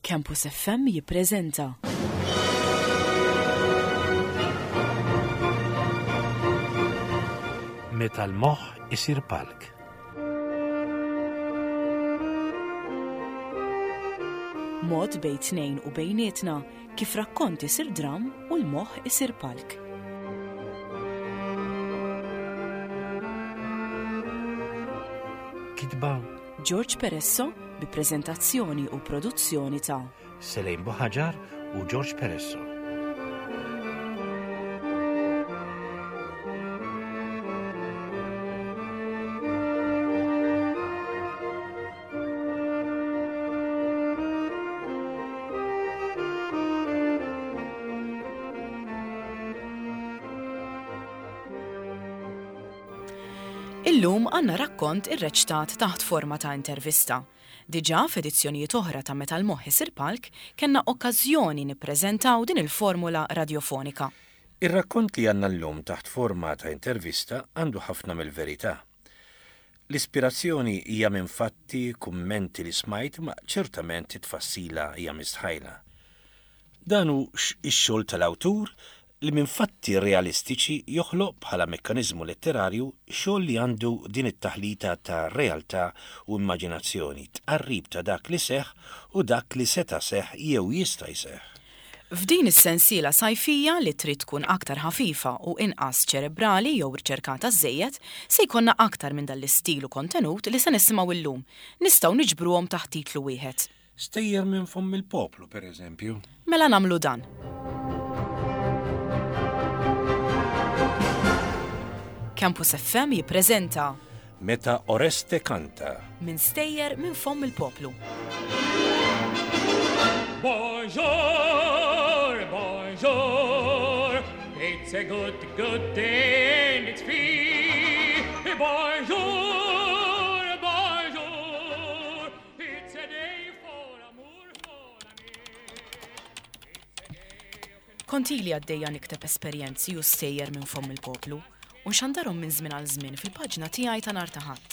Campus FM jippreżenta. Meta l-moħħ isir palk. Mod bejn tnejn u bejnietna kif rakkont isir dramm u l-moħħ isir palk. Kitba George Peresso bi preżentazzjoni u produzzjoni ta' Selejn Buħaġar u George Peresso. Illum għandna rakkont irreċtat taħt forma ta' intervista. Diġà f'edizzjonijiet oħra ta' Meta l-Moħħ Isir Palk kellna okkażjoni nippreżentaw din il-formula radjofonika. Ir-rakkont li għandna llum taħt forma ta' intervista għandu ħafna mill-verità. L-ispirazzjoni hija minn fatti, kummenti li smajt imma ċertament it-tfassila hija mistħajla. Dan hu x-xogħol tal-awtur li minn fatti realistiċi joħloq bħala mekkaniżmu letterarju xogħol li għandu din it-taħlita ta' realtà u immaġinazzjoni, tqarrib ta' dak li seħħ u dak li seta' seħħ jew jista' jseħħ. F'din is-sensiela sajfija li trid tkun aktar ħafifa u inqas ċerebrali jew riċerkata żżejjed, se jkollna aktar minn dan l-istil u kontenut li se nisimgħu llum. Nistgħu niġbruhom taħt titlu wieħed. Stejjer minn fomm il-poplu, per eżempju. Mela nagħmlu dan. Campus FM jippreżenta Meta Oreste kanta. Minn stejjer minn fomm il-poplu. Bonjour, bonjour, it's a good, good day and it's free. Bonjour, bonjour, it's a day for amour, for ami. Kont ili għaddejja nikteb esperjenzi u stejjer minn fomm il-poplu u nxandarhom minn żmien għal żmien fil-paġna tiegħi ta' nhar ta' Ħadd.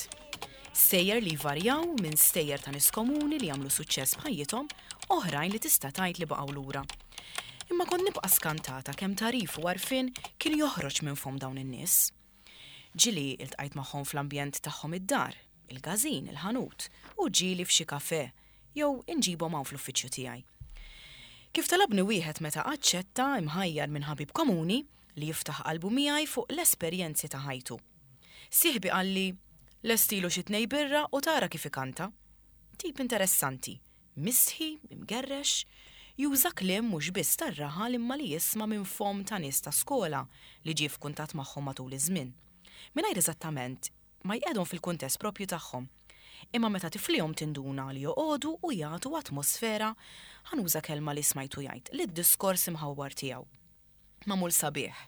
Stejjer li jvarjaw minn stejjer ta' nies komuni li għamlu suċċess b'ħajjithom, oħrajn li tista' tgħid li baqgħu lura. Imma kont nibqa' skantata kemm tagħrif u għarfien kien joħroġ minn fomm dawn in-nies. Ġieli iltqajt magħhom fl-ambjent tagħhom id-dar, il-każin, il-ħanut, u ġieli f'xi kafè, jew inġibhom hawn fl-uffiċċju tiegħi. Kif talabni wieħed meta aċċetta, imħajjar minn ħabib komuni, li jiftaħ qalbu miegħi fuq l-esperjenzi ta' ħajtu. Sieħbi qalli, Lestilu xi tnej birra u tara kif ikanta. Tip interessanti, mistħi, imgerrex, juża kliem mhux biss tar-raħal imma li jisma' minn fomm ta' nies ta' skola li ġie f'kuntatt magħhom matul iż-żmien. Mingħajr eżattament ma jqegħdhom fil-kuntest proprju tagħhom. Imma meta tiflihom tinduna li joqogħdu u jagħtu atmosfera, ħa nuża kelma li smajtu jgħid, lid-diskors imħawwar tiegħu. Magħmul sabiħ,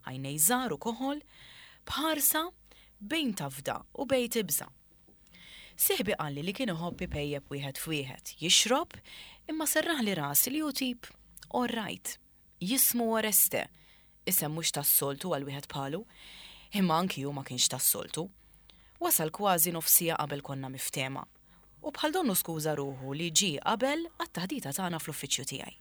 għajnej żgħar u koħol, b'ħarsa bejn tafda u bejn tibża'. Sieħbi qalli li kien iħobb ipejjep wieħed f'wieħed, jixrob, imma serraħli rasi li hu tip orrajt. Jismu Oreste, isem mhux tas-soltu għal wieħed bħalu, imma anki hu ma kienx tas-soltu. Wasal kważi nofs siegħa qabel konna miftehma. U bħal donnu skuża ruħu li ġie qabel għat-taħdita tagħna fl-uffiċċju tiegħi.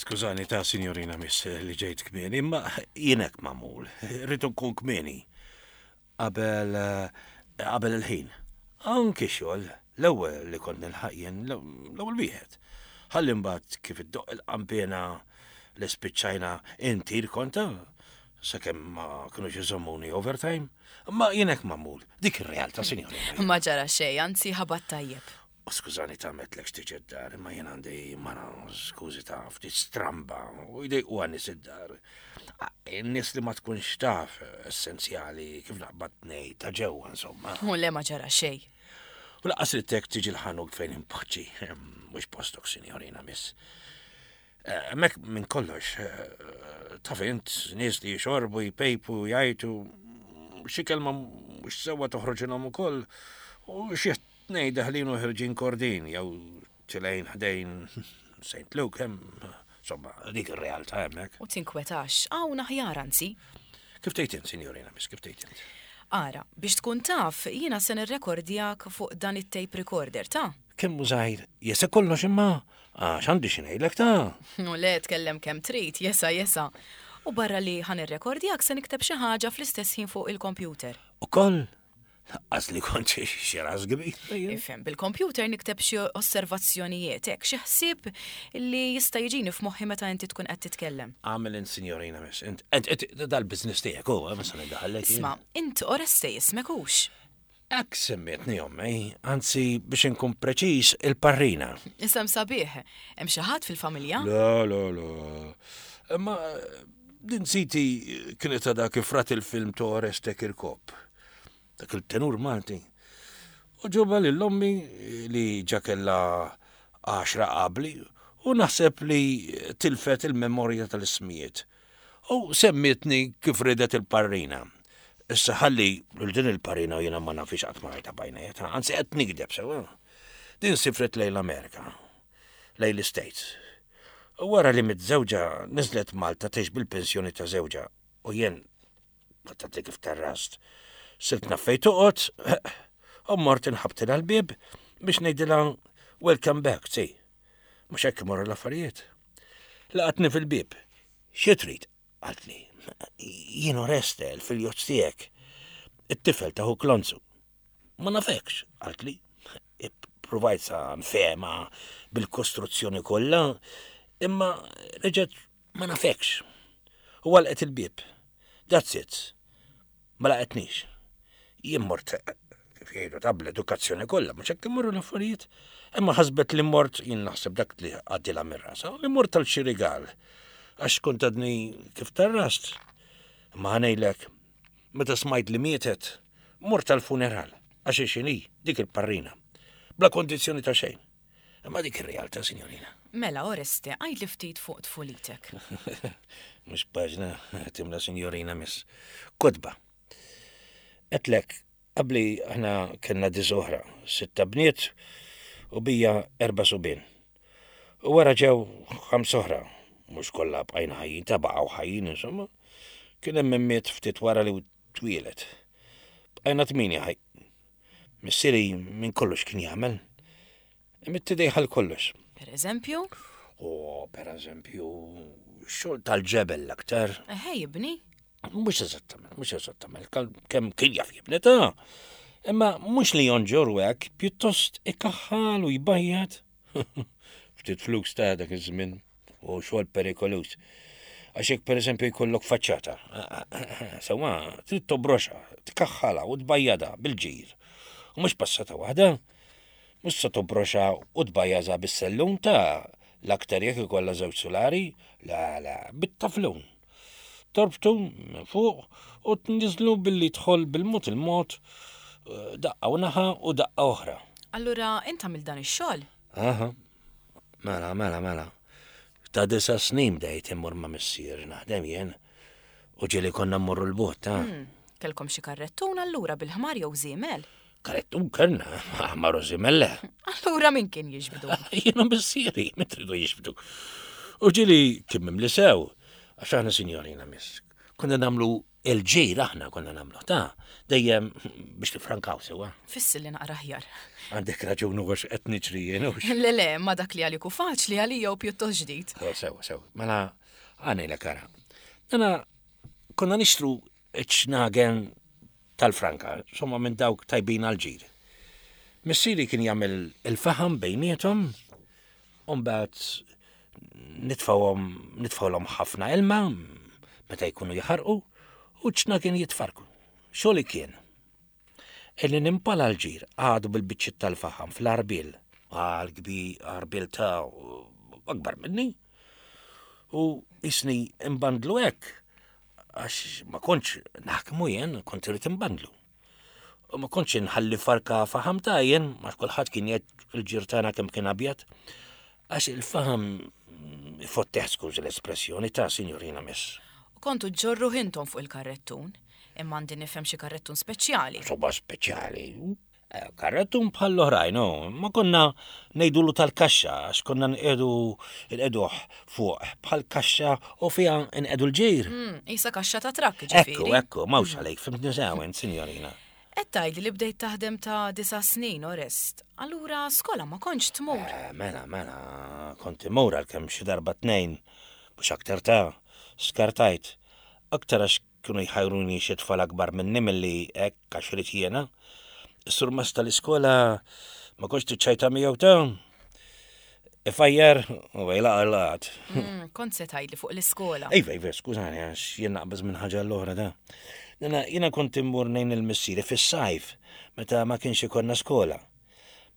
Skużani ta' sinjorina miss li ġejt kmieni, imma jien hekk magħmul. Rrid nkun kmieni. Qabel qabel il-ħin. Anki xogħol, l-ewwel li kont nilħaq jien, l-ewwel wieħed. Ħalli mbagħad kif iddoqq il-qanpiena li spiċċajna intir konta, sakemm ma kinux iżommuni overtime. Ma jien hekk magħmul. Dik ir-realtà, sinjorina. Ma ġara xejn, anzi ħabat tajjeb. U skużani ta' metlek tiġi d-dar, imma jien għandi mara skużi ta' ftit stramba u jdejqu għan-nies id-dar. In-nies li ma tkunx taf essenzjali kif naqbad ngħid ta' ġewwa insomma. U le ma ġara xejn. U laqqas ridtek tiġi l-ħanut fejn inpoġġi, mhux postok sinjorina miss. Hemmhekk minn kollox, taf int, nies li jixorbu, jpejpu, jgħajtu, xi kelma mhux sewwa toħroġilhom ukoll, u xi tnej deħlin u ħirġin kordin, jew tilgħin ħdejn St. Luke hemm, insomma, dik ir-realtà hemmhekk. U tinkwetax, hawn aħjar anzi. Kif tgħid int, sinjorina, miss, kif tgħid int? Ara, biex tkun taf, jiena se nirrekordjak fuq dan it-tape recorder, ta? Kemm hu żgħir, jesa' kollox imma għax għandi xi ngħidlek ta'. U le tkellem kemm trid, jesa' jesa'. U barra li ħa nirrekordjak se nikteb xi ħaġa fl-istess ħin fuq il-kompjuter. Ukoll? Lanqas li kont xi ras kbir. Ifhem, bil-kompjuter nikteb xi osservazzjonijiet, hekk, xi ħsieb li jista' jiġini f'moħħi meta inti tkun qed titkellem. Agħmel int, sinjorina miss, int, int, dal-business tiegħek hu, ma se niddaħħallek jien. Isma', int Oreste jismek hux? Hekk semmietni ommi, anzi biex inkun preċiż, il-parrina. Isem sabiħ. Hemm xi ħadd fil-familja? Le, le, le. Imma din siti kienet għadha kif rat il-film ta' Oreste Kirkop. Dak il-tenur Malti. U ġoba lil ommi li ġa kellha għaxra qabli u naħseb li tilfet il-memorja tal-ismijiet. U semmietni kif ridet il-parrina. Issa ħalli lil din il-parrina jiena ma nafhiex qatt ma rajtha b'għajnejja ta' anzi qed nigdeb sewwa. Din sifret lejn l-Amerika, lejn l-Istates. U wara li miet żewġha niżlet Malta tgħix bil-pensjoni ta' żewġha u jien kont għadni kif terrast. Sirt naf fejn toqgħod u mort inħabbtilha l-bieb biex ngħidilha welcome back, see. Mhux hekk imorru l-affarijiet. Laqatni fil-bieb. Xi trid? Qaltli. Jien Oreste, il-filjozz tiegħek. It-tifel ta' ħuk Lonzu. Ma nafekx, qaltli. Ippruvajt sa nfehma bil-kostruzzjoni kollha, imma reġgħet ma nafekx. U għalqet il-bieb. That's it. Ma laqgħetnix. Jien mort kif jgħidu ta' bl-edukazzjoni kollha, mhux hekk imorru l-affarijiet. Imma ħasbet li mort, jien naħseb dak li għaddilha minn rasha, li mort għal xi rigal. Għax kont għadni kif tarrast. Imma ħanejlek, meta smajt li mietet, mort għal-funeral, għax xini, dik il-parrina. Bla kondizzjoni ta' xejn. Imma dik ir-realtà, signorina. Mela, Oreste, għidli ftit fuq tfulitek. Mhux paġna timla signorina miss. Kotba. Għedtlek, qabli aħna kellna disa oħra, sitta bniet u bija erba' subien. U wara ġew ħams oħra, mhux kollha bqajna ħajjin, ta' baqgħu ħajjin insomma. Kien hemm min miet ftit wara li twieled. Bqajna tmienja ħaj. Missieri minn kollox kien jagħmel. Imidd idejh għal kollox. Per eżempju? Oh, per eżempju, xogħol tal-ġebel l-aktar. Eħe, jibni? Mhux eżattament, mhux eżattament, kemm kien jaf jibni ta' Imma mhux li jonġor u hekk, pjuttost ikaħħal u jbajjad. Ftit flus ta' dak iż-żmien u xogħol perikoluż. Għax jekk pereżempju jkollok faċċata, sewwa trid tobroxha, tkaħħalha u tbajjadha bil-ġir. U mhux passata waħda, mhux se tobroxha u tbajjażha bis-sellum ta' l-aktar jekk ikollha żewġ sulari, la la, bit-taflun. Torbtu minn fuq u tniżlu billi tħoll bil-mod il-mod eh, daqqa u naħa u daqqa oħra. Allura int għamilt dan ix-xogħol? Aha. Mela, mela, mela. Ta' disa snin bdejt immur ma' missier naħdem jien u ġieli konna mmorru l-bot ta'. Hmm, kellkom xi karrettun allura bil-ħmar jew żiemel? Karrettun kellna, ħmar u żiemel le. Allura min kien jiġbdu? Jiena missieri, min tridu jiġbdu. U ġieli kien mimli sew, għax aħna sinjorina miss. Konna nagħmlu Il-ġir aħna konna nagħmluh ta' dejjem biex nifrankaw sewwa. Fissi li naqra aħjar. Għandek raġun u għax qed niġri jien hux. Le le, ma dak li għalik hu faċli għalija hu pjuttost ġdid. Eh, sewa, sewa. Mela għanejlek ara. Mela konna nixtru ċ-ċnagen tal-franka, somma minn dawk tajbin għal-ġir. Missieri kien jagħmel il-faħam bejniethom, u mbagħad nitfgħuhom nitfgħulhom ħafna ilma meta jkunu jaħarqu u ċna kien jitfarku. Xogħli kien illi nimpala l-ġir għadu bil-biċċiet tal-faħam fl-arbil, għal kbir arbil ta' akbar minni. U jisni imbandlu hekk għax ma kontx naħkmu jien, kont irid imbandlu. U ma kontx inħalli farka faħam ta' jien, ma kulħadd kien jgħid il-ġir tagħna kemm kien abjad. Għax il-faħam ifotteħ skużi l-espressjoni ta' sinjorina miss. U kontu ġġorru intom fuq il-karrettun, imma għandi nifhem xi karrettun speċjali. Soba speċjali. Eh, karrettun bħal l-oħrajn, oh, ma konna ngħidulu tal-kaxxa għax konna nqedu nqeduh fuq bħal kaxxa u fiha nqedu l-ġir. Mm, isa kaxxa ta' trakk ġifieri. Ekku, ekku, mawx għalejk, fimtni sew int, sinjorina. Qed tgħidli li bdejt taħdem ta' disa' snin, Orest. Allura skola ma kontx tmur? Eh, mela, mela, kont immur għalkemm xi darba tnejn, mhux aktar ta' skartajt. Aktar għax kienu jħajruni xi tfal akbar minni milli hekk għax ridt jiena. Is-surmast tal-iskola ma kontx tiċċajta miegħu ta' ifajjar u għajlaq għalaqat. Mm, kont se tgħidli fuq l-iskola. Iva, iva, skużani, għax jien naqbeż minn ħaġa l-oħra da. Jiena kont immur nejn il-missieri fis-sajf, meta ma kienx ikollna skola.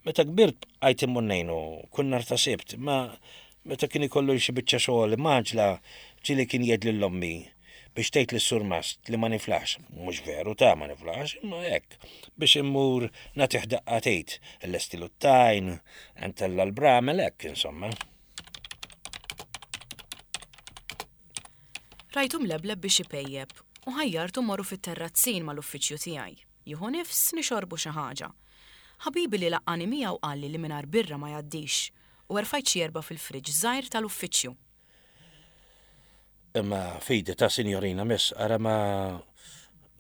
Meta kbirt bqajt immur ngħinu kull nhar ta' Sibt, ma meta kien ikollu xi biċċa xogħol imgħaġġla ġieli kien jgħid lil ommi biex tgħid lis-surmast li ma niflaħx, mhux veru ta' ma niflaħx, imma hekk, biex immur nagħtih daqqa t'id, illestilu t-tajn, ntella' l-bramel hekk insomma. Rajtu mlebleb biex ipejjep u ħajjartu mmorru fit-terrazzin mal-uffiċċju tiegħi. Jieħu nifs nixorbu xi ħaġa. Ħabibi li laqqagħni miegħu qalli li mingħajr birra ma jgħaddix u erfajt xi erbgħa fil-fridge żgħir tal-uffiċċju. Imma fidi ta' sinjorina miss, ara ma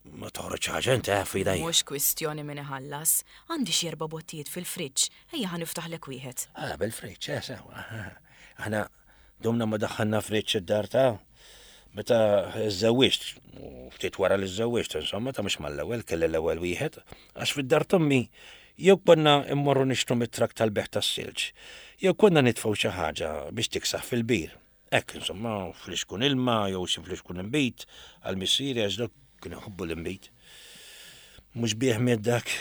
ma toħroġ ħaġa inti eh, f'idejja. Mhux kwistjoni min iħallas. Għandi xi erba' bottijiet fil-fridge, ejja ħa niftaħlek wieħed. Ah, bil-fridge, eh, sewa. Aħna Domna ma daħħalna friġġ id-dar ta' meta żżewwiġt, u ftit wara li żżewwiġt, insomma, ta' mhux mal-ewwel, kelli l-ewwel wieħed, għax fid-dar t'ommi jew konna mmorru nixtru mit-trakk tal-bejgħ tas-silġ, jew konna nitfgħu xi ħaġa biex tiksaħ fil-bir. Hekk, insomma, flixkun ilma jew xi flixkun inbid għal missieri għax dak kien iħobbu l-inbid. Mhux bih miet dak.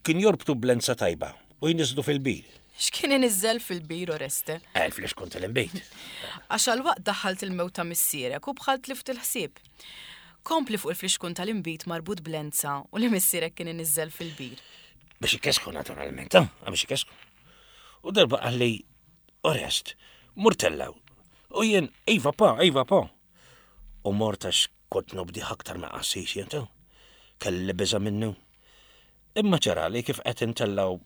Kien jorbtu b'lenza tajba u jniżżlu fil-bir. X'kien iniżżel fil-bir, Oreste? Il-flixkun tal-inbid. Għax għal waqt daħħalt il-mewt ta' missierek u bħal tlift il-ħsieb. Kompli fuq il-flixkun tal-inbid marbut b'lenza u li missierek kien iniżżel fil-bir. Biex ikesku naturalment, eh? Biex ikesku. U darba qalli, Orest, mur tellaw. U jien, iva pa, iva pa. U mort għax kont nobdih aktar ma' qassis jien ta' kelli biża' minnu. Imma ġarali kif qed intellgħu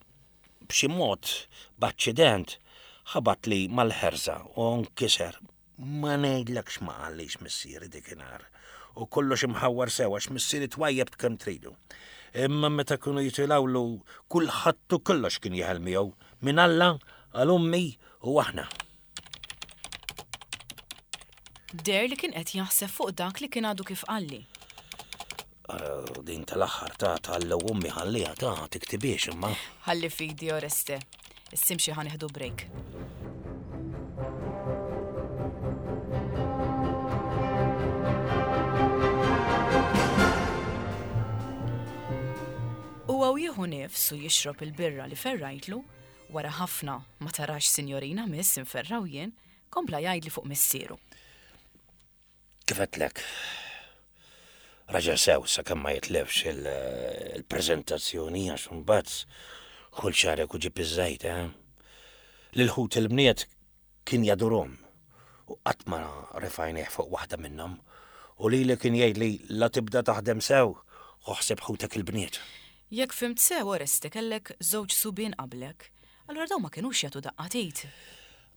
b'xi mod b'aċċident ħabatli mal-ħerża u nkiser. Ma ngħidlekx ma qallix missieri dikinhar. U kollox imħawwar sew għax missieri twajjeb kemm tridu. Imma meta kienu jitilgħulu kulħadd u kollox kien jeħel miegħu, minn Alla għal ommi u aħna. Deher li kien qed jaħseb fuq dak li kien għadu kif qalli. Eh, din tal-aħħar ta' tal ummi ħalliha ta' tiktibiex imma. Ħalli fidi Oreste. Issimxi ħa nieħdu break. Huwa u jieħu nifs u jixrob il-birra li ferrajtlu, Wara ħafna, ma tarax sinjorina miss inferraw jien, kompla jgħidli fuq missieru. Kif għedtlek, raġel sew sakemm ma jitlefx il-preżentazzjoni għax imbagħad kull xarek u ġib iż-żejt, eh? Lil ħut il-bniet Kien jadurhom u qatt ma refa' għajnejh fuq waħda minnhom u lili kien jgħidli la tibda taħdem sew ħu ħsieb ħutek il-bniet. Jekk fhimt sew Oreste kellek żewġ subien qablek, allura dawn ma kinux jagħtu daqqa t'id?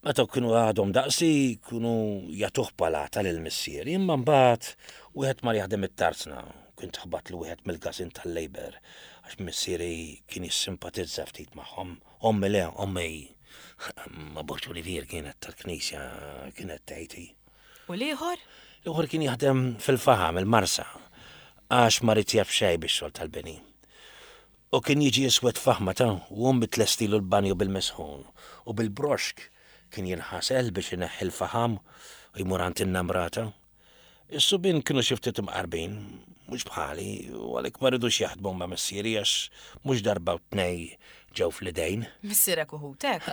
Meta kienu għadhom daqsi kienu jagħtuh palata lil missieri imma mbagħad wieħed mar jaħdem it-tarzna u kien tħabatlu wieħed mill-każin tal-Labour għax missieri kien jissimpatizza ftit magħhom. Ommi le, ommi ma Boċolivier kienet tal-knisja kienet tgħid hi. U l-ieħor? L-ieħor kien jaħdem fil-faħam, il-Marsa, għax ma ried jaf xejn bix-xogħol tal-bini. U kien jiġi iswed faħma ta' u ommi tlestilu l-banju bil-misħun u bil-broxk kien jinħasel biex ineħħi l-faħam u jmur għand in-namrata. Is-subien kienu xi ftit imqarbin, mhux bħali, u għalhekk ma ridux jaħdmu ma' missieri għax mhux darba u tnej ġew fl-idejn. Missierek u ħutek?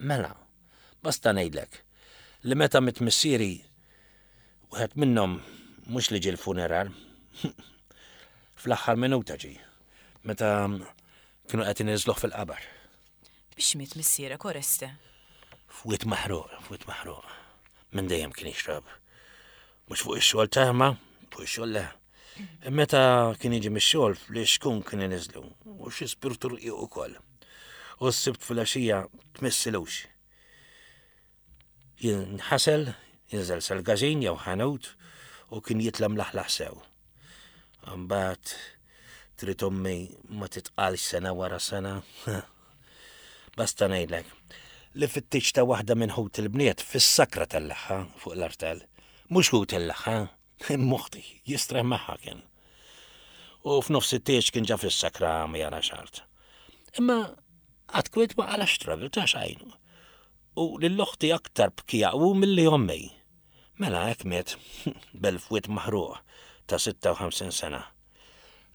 Mela, basta ngħidlek li meta miet missieri, wieħed minnhom mhux li ġie l-funeral, fl-aħħar minuta ġie, meta kienu qed iniżżluh fil-qabar. Biex miet missierek, Oreste? Fwied maħruq, fwied maħruq. Minn dejjem kien jixrob. Mhux fuq ix-xogħol ta' ma, fuq ix-xogħol le. Meta kien jiġi mix-xogħol fl-ixkun kien iniżlu u xi spirtu rqiq ukoll. U s-sibt filgħaxija tmissilux. Jinħasel, jinżel sal-każin jew ħanut u kien jitla' mlaħlaħ sew. Imbagħad trid ommi ma titqalx sena wara sena. Basta ngħidlek li fit-tieġ ta' waħda minn ħut il-bniet fis-sakra tellagħha fuq l-artal. Mhux hu tellagħha, imma oħti, jistrieħ magħha kien. U f'nofs it-tieġ kien ġa fis-sakra ma jarax art. Imma qatt kwiet ma qalax travel ta' xejn. U lil oħti aktar bkija hu milli ommi. Mela hekk miet b'elf wied maħruq ta' 56 sena.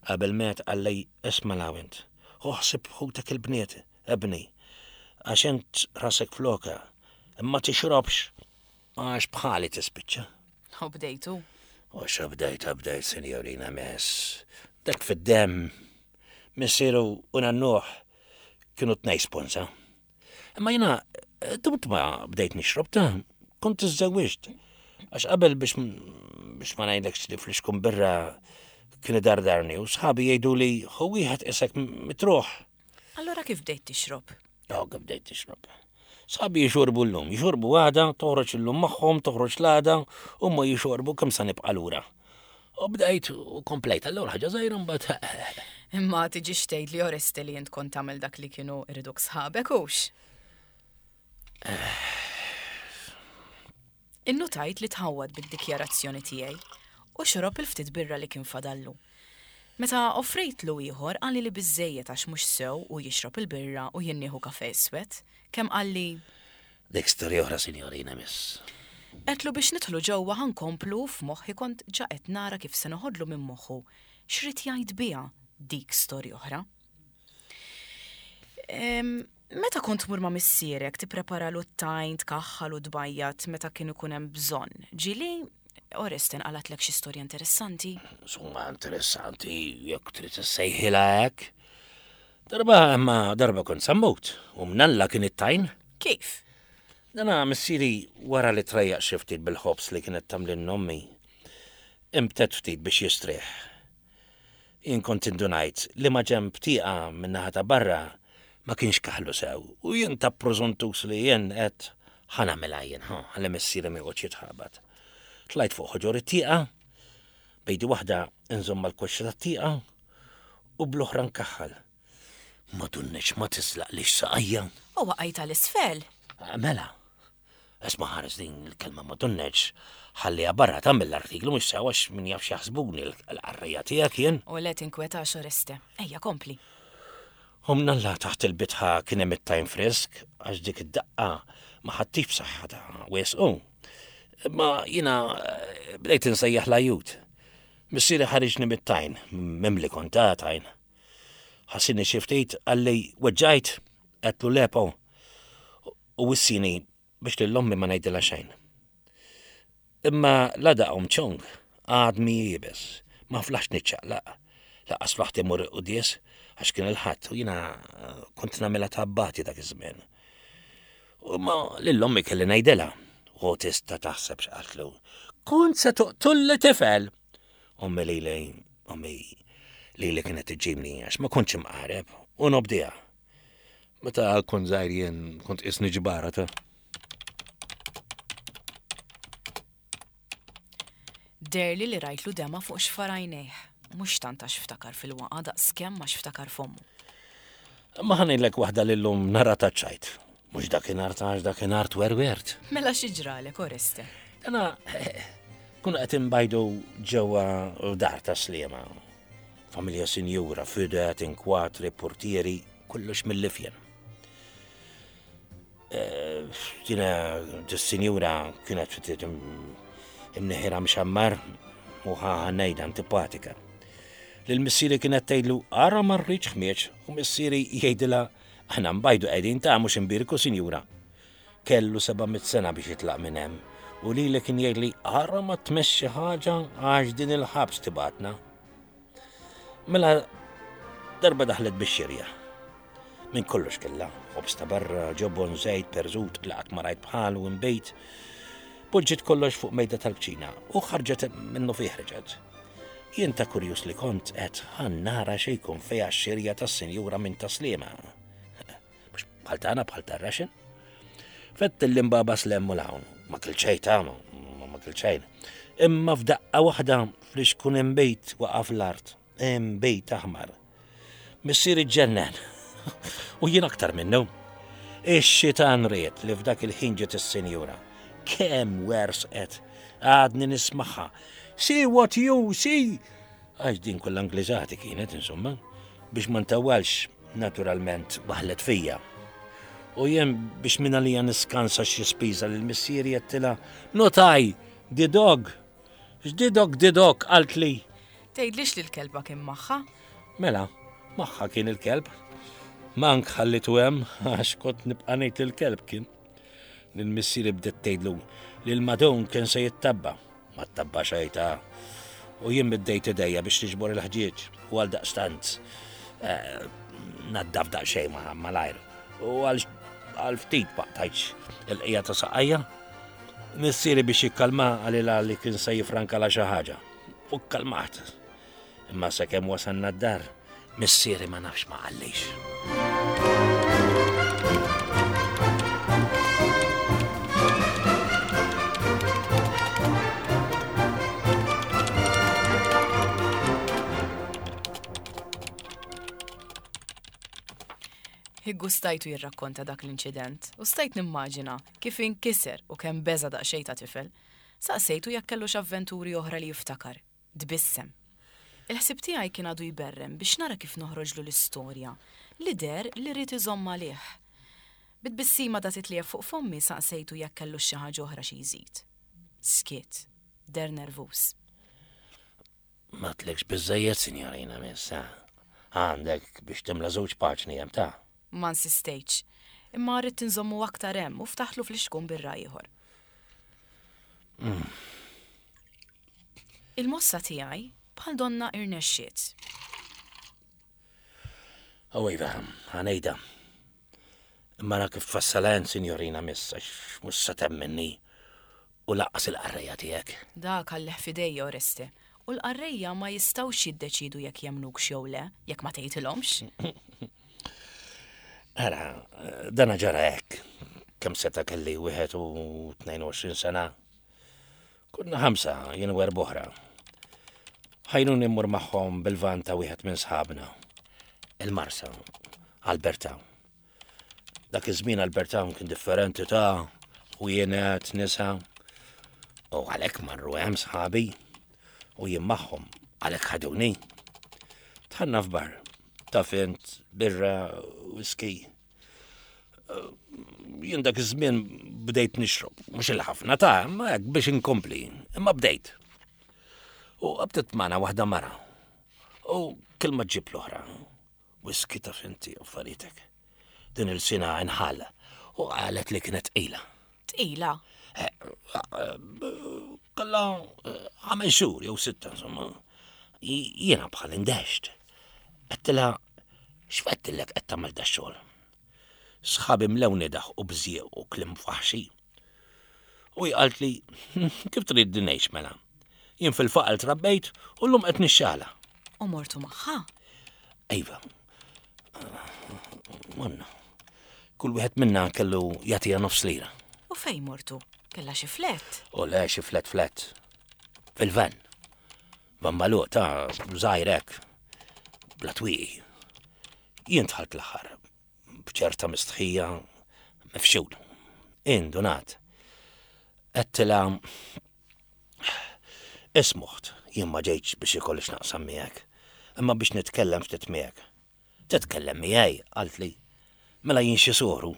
Qabel miet qalli isma' 'l hawn int, ħu ħsieb ħutek il-bniet, ibni, għax int rasek floka, imma tixrobx għax bħali tispiċċa. U bdejtu? U xa bdejt, bdejt, sinjorina Miss. Dak fid-demm. Missieru u nannuh kienu tnej sponsa. Imma jiena dumt ma bdejt nixrob ta' kont iżżewwiġt. Għax qabel biex biex ma ngħidlekx li fl-ixkun birra kien idardarni u sħabi jgħidu li hu wieħed isek mitruħ. Allora kif bdejt tixrob? Oh, kif bdejt tixrob. Sħabi jixorbu llum, jixorbu għada, toħroġ illum magħhom, toħroġ l-għada, u ma jixorbu kemm sa nibqa' lura. U bdejt u komplejt, allura ħaġa żgħira mbagħad. Imma tiġix tgħid li Oreste li int kont tagħmel dak li kienu iriduk sħabek hux? Innutajt li tħawwad bid-dikjarazzjoni tiegħi u xorob il-ftit birra li kien fadallu. Meta offrejtlu ieħor qalli li biżżejjed għax mhux sew hu jixrob il-birra u jien nieħu kafè iswed. Kemm qalli. Dik storja oħra sinjorina miss. Għedtlu biex nidħlu ġewwa ħa nkomplu u f'moħħi kont ġa qed nara kif se noħodlu minn moħħu x'ried jgħid biha dik storja oħra. Meta kont tmur ma' missierek tippreparalu t-tajn, tkaħħal u tbajjad meta kien ikun hemm bżonn, ġieli Oreste nqalgħatlek xi storja interessanti? Insomma interessanti jekk trid issejħilha hekk. Darba imma darba kont sammut u mnalla kien it-tajn. Kif? Dana missieri wara li trejjaq xi ftit bil-ħobż li kienet tagħmlilna ommi, imtedd ftit biex jistrieħ. Jien kont indunajt li maġenb tieqa min-naħa ta' barra ma kienx kaħlu sew u jien ta' prużuntus li jien għedt ħa nagħmilha jien, ħa, ħalli missieri ma joqgħodx jitħabat. Tlajt fuq ħoġor it-tieqa, b'idi waħda nżomm mal-koxxa tat-tieqa u bl-oħra nkaħħal. Ma dunnex ma tiżlaqlix saqajja. U waqajt għal isfel. Mela, Isma' ħares din il-kelma ma tunneġ, ħalliha barra ta' mill-artiklu mhux sew għax min jaf x'jaħsbuni l-qarrejja tiegħek jien. U le tinkwetax Oreste. Ejja kompli. U mnalla taħt il-bitħa kien hemm it-tajn frisk għax dik id-daqqa ma ħadtix b'saħħa ta' wisq. Imma jiena eh, bdejt insejjaħ l-ajjut. Missieri ħariġni mit-tajn, mimli kont ta' tajn. Ħassini xi ftit qalli weġġajt, għedtlu lepo. U wissini biex lil ommi ma ngħidilha xejn. Imma la daqhom ċong, għadmi iebes, ma flaħx niċċaqlaq. Lanqas flaħt immur il-quddies għax kien il-Ħadd u jiena kont nagħmilha ta' abbati dak iż-żmien. U ma lil ommi kelli ngħidilha. U tista' taħseb x'qaltlu. Kont se toqtulli tifel! Ommi lili, ommi lili kienet iġġibni għax ma kontx imqareb u nobdiha. Meta kont żgħir jien kont qisni ġbara ta'. Deherli li rajtlu demgħa fuq xfar għajnejh, mhux tant għax ftakar fil-waqgħa daqskemm għax ftakar f'ommu. Imma ħa ngħidlek waħda li llum nara taċ-ċajt. Mhux dakinhar ta' għax dakinhar twerwert. Mela xi ġralek, Oreste? Dana kunu qed inbajdu ġewwa dar ta' Sliema. Familja sinjura, fidet, inkwatri, portieri, kollox mill-ifjen. Eh, tina, dis-sinjura kienet ftit imneħira mxammar u ħanejda antipatika. Lil missieri kienet tgħidlu ara ma rridx ħmieġ u missieri jgħidilha aħna nbajdu qegħdin ta' mhux imbierku sinjura. Kellu 700 sena biex jitlaq minn hemm u lili kien jgħidli ara ma tmexxi ħaġa għax din il-ħabs tibatna. Mela darba daħlet bix-xirja. Minn kollox kellha, ħobż ta' barra, ġobon, żejt, perżut, li qatt ma rajt bħalu inbejt. Poġġiet kollox fuq mejda tal-kċina u ħarġet minnu fih reġgħet. Jien ta' kurjuż li kont qed ħa nara xi jkun fiha x-xirja tas-sinjura minn Tas-Sliema. Mhux bħal tagħna bħal tar-Russian. Fett l-imbaba slem u l-hawn, ma kilt xejn ta' ma kilt xejn. Imma f'daqqa waħda fl-ixkun imbejt waqaf l-art, imbejt aħmar. Missieri ġġennen. U jien aktar minnu. Ix-xitan ried li f'dak il-ħin ġiet is-sinjura. Kemm wersqet, għadni nismagħha. See what you see! Għax din kollha Ingliżati kienet, insomma. Biex ma ntawwalx, naturalment waħlet fija. U jien biex minn għalija niskansa xi spiża lil missieri għedtilha, Not I, the dog! X'didok didok, qaltli. Tgħidlix li l-kelba kien magħha? Mela, magħha kien il-kelb. Mank ħallitu hemm għax kont nibqa' ngħid li l-kelb kien. Lil missieri bdiet tgħidlu li l-madun kien se jittabba. Ma ttabba xejn ta' u jien middejt idejja biex niġbor il-ħġieġ u għal daqstant eh, naddaf daqsxejn malajr. U għal ftit ma qtajtx il-qija ta' saqajja. Missieri biex jikkalma qalilha li kien se jifrankalha xi ħaġa. U kkalmat. Imma sakemm wasalna d-dar, missieri ma nafx ma qallix. Iggustajtu jirrakkonta dak l-inċident u stajt nimmaġina Kif inkiser u kemm beża' daqsxejn ta' tifel. Saqsejtu jekk kellux avventuri oħra li jiftakar. Tbissem. Il-ħsieb tiegħi kien għadu jberrem biex nara kif noħroġlu l-istorja li deher li ried iżomm għalih. Bi tbissima da titliegħeb fuq fommi saqsejtu jekk kellux xi ħaġa oħra xi jżid. Skiet. Deher nervuż. M'għadtlekx biżżejjed, sinjorina miss, ha? Għandek biex timla żewġ paġni hemm ta'. Ma insistejtx. Imma ridt inżommu aktar hemm u ftaħtlu flixkun birra ieħor. Il-mossa tiegħi bħal donna irnexxiet. Oh iva, ħa ngħidha. Imma ara kif tfassalha int, sinjorina miss, għax mhux se temminni u lanqas il-qarrejja tiegħek. Dak għallih f'idejja, Oreste. U l-qarrejja ma jistgħux jiddeċiedu jekk jemmnukx jew le, jekk ma tgħidilhomx. Ara, dana ġara hekk. Kemm seta' kelli 21 sena. Konna ħamsa, jien u erb'oħra. Ħajruni mmur magħhom bil-van ta' wieħed minn sħabna. Il-Marsa, Alberta. Dak iż-żmien Alberta kien differenti ta' ħwienet, nisa. U għalhekk marru hemm sħabi u jien magħhom għalhekk ħaduni. Tħanna f'bar, ta' fint, birra, whisky. Jien dak iż-żmien bdejt nixrob, mhux il-ħafna ta' imma hekk biex inkompli, imma bdejt. U qabdet magħna waħda mara. U kelma ġib l-oħra. Whisky taf inti affaritek. Din il-sina inħall u qalet li kienet tqila. Tqila? Eh, kalla eh, ħames xhur jew sitta insomma. Jiena bħal indext. Għedtilha x'fettillek qed tagħmel da xogħol. Sħabi mlewni daħ u bżieq u klim faħxi. U hi qaltli, kif tridni ngħix mela? Jien fil-faqar trabbejt u llum qed nixxala. U mortu magħha? Iva. Morna. Kull wieħed minna kellu jagħtiha nofs lira. U fejn mortu? Kellha xi flet? U le xi flet flet. Fil-van. Van magħluq ta' żgħir hekk. Bla twieqi. Jien dħalt l-aħħar. B'ċerta mistħija mifxul. Indunat. Għedtilha Ismuħt, jien ma ġejtx biex ikolli x'naqsam miegħek, imma biex nitkellem ftit miegħek. Titkellem miegħi, qaltli. Mela jien xi soru.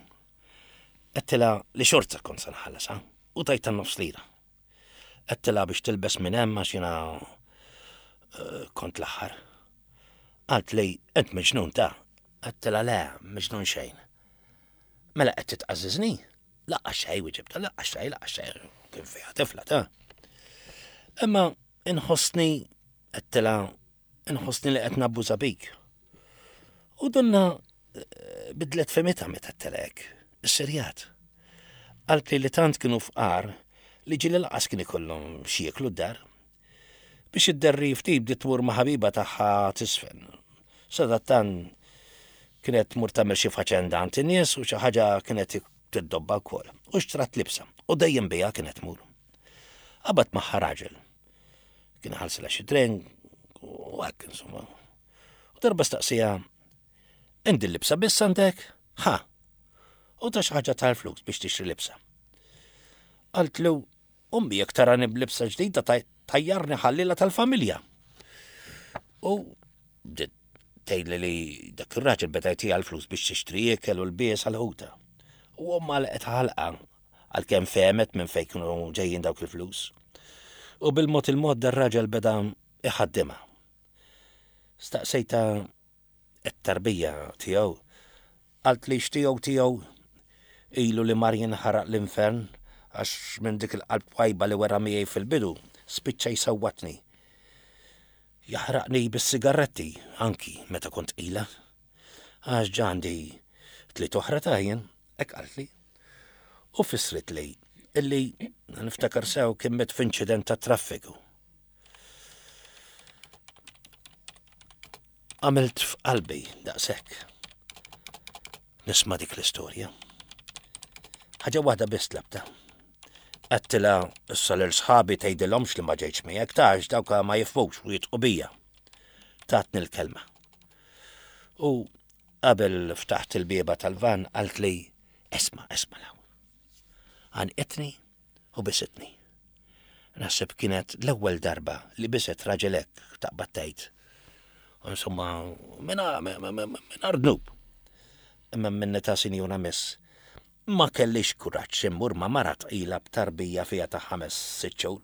Għedtilha li xorta kont se nħallasha u tajtha nofs lira. Għedtilha biex tilbes minn hemm għax jiena eh, kont l-aħħar. Qaltli, int miġnun ta' Għedtilha le, miġnun xejn. Mela qed titqażżiżni? Laqqa xejn, wieġibta, laqqa xejn, laqqa xejn, kien fiha tifla ta' Imma inħossni għedtilha inħossni li qed nabbuża bik. U donna eh, bidlet femita meta telek, is-serjat. Qaltli li tant kienu fqar li ġieli laqas kien ikollhom xi jieklu d-dar. Biex idderri ftit bdiet tmur ma' ħabiba tagħha tiżfen. Sadattant kienet tmur tagħmel xi faċenda għand in-nies u xi ħaġa kienet tiddobba wkoll. U xtrat libsa u dejjem biha kienet tmur. Qabad magħha raġel. Kien ħalsilha xi drink u hekk insomma. U darba staqsija, Indi l-libsa biss għandek? Ha! U ta xi ħaġa tal-flus biex tixtri libsa. Qaltlu, Ommi jekk tarani b'libsa ġdida tajjarni ħallila tal-familja. U bdiet tgħidli li dak ir-raġel beda jtiha l-flus biex tixtri ikel u lbies għal ħuta. U omma għalqet ħalqa għalkemm fehmet minn fejn kienu ġejjin dawk il-flus. U bil-mod il-mod dar-raġel beda iħaddimha. Staqsejta It-tarbija tiegħu qaltli x'tiegħu tiegħu ilu li mar jinħaraq l-infern għax minn dik il-qalb twajba li wera miegħi fil-bidu spiċċa jsawwatni. Jaħraqni bis-sigarretti anki meta kont tqila. Għax ġa għandi tliet oħra ta' jien, hekk qaltli. U fissritli illi niftakar sew kien miet f'inċident tat-traffiku. Għamilt f'qalbi daqshekk. Nisma' dik l-istorja. Ħaġa waħda biss tlabta. Għedtilha issa lil sħabi tgħidilhomx li ma ġejtx miegħek ta' għax dawk ma jifhmux u jitqu bija. Tatni l-kelma. U qabel ftaħt il-bieba tal-van qaltli esma' esma' law. Għanqitni u bisitni. Naħseb kienet l-ewwel darba li biset raġel hekk taqbad tgħid. Insomma, mingħajr dnub. Imma minni ta' sinjura miss, ma kellix kuraġġ immur ma' mara tqila b'tarbija fiha ta' ħames sitt xhur.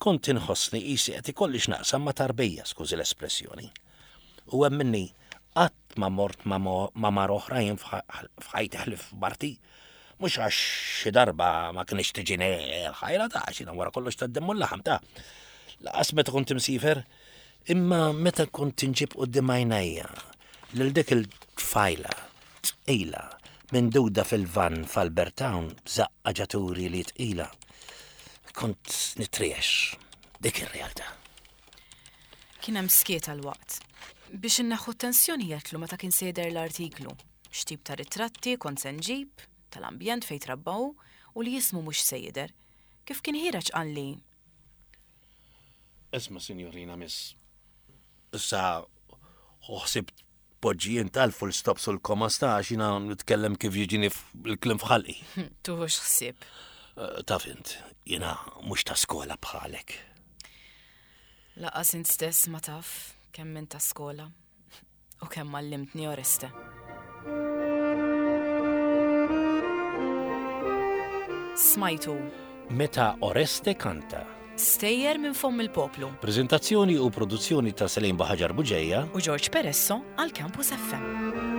Kont inħossni qisi qed ikolli x'naqsam ma' tarbija, skużi l-espressjoni. U hemm minni qatt ma mort ma' mara oħra jien f'ħajti ħlief marti. Mhux għax xi darba ma kinitx tiġini l-ħajra ta' għax jiena wara kollox tad-demm u l-laħam ta' laqas meta kont imsiefer, imma meta kont inġib quddiem għajnejja lil dik il-tfajla tqila minduda fil-vann f'Albert Town b'żaqqa ġaturi li tqila, kont nitriex. Dik ir-realtà. Kien hemm skiet għal waqt. Biex inneħħu t-tensjoni għedtlu meta kien se jidher l-artiklu. X'tip ta' ritratti kont se nġib, tal-ambjent fejn trabba hu, u li ismu mhux se jidher. Kif kien ħiereġ qalli. Isma' sinjorina miss, issa ħu ħsieb tpoġġi int għal full stops u l-commas ta' għax jiena nitkellem kif jiġini l-kliem f'ħalqi. Tuħux ħsieb. Eh, taf int, jiena mhux ta' skola bħalek. Laqas int stess ma taf kemm int ta' skola. U kemm għallimtni Oreste. Smajtu. Meta Oreste kanta. Stejjer minn fomm il-poplu. Preżentazzjoni u produzzjoni ta' Selin Baħaġar Buġeja u George Peresso għal Campus FM.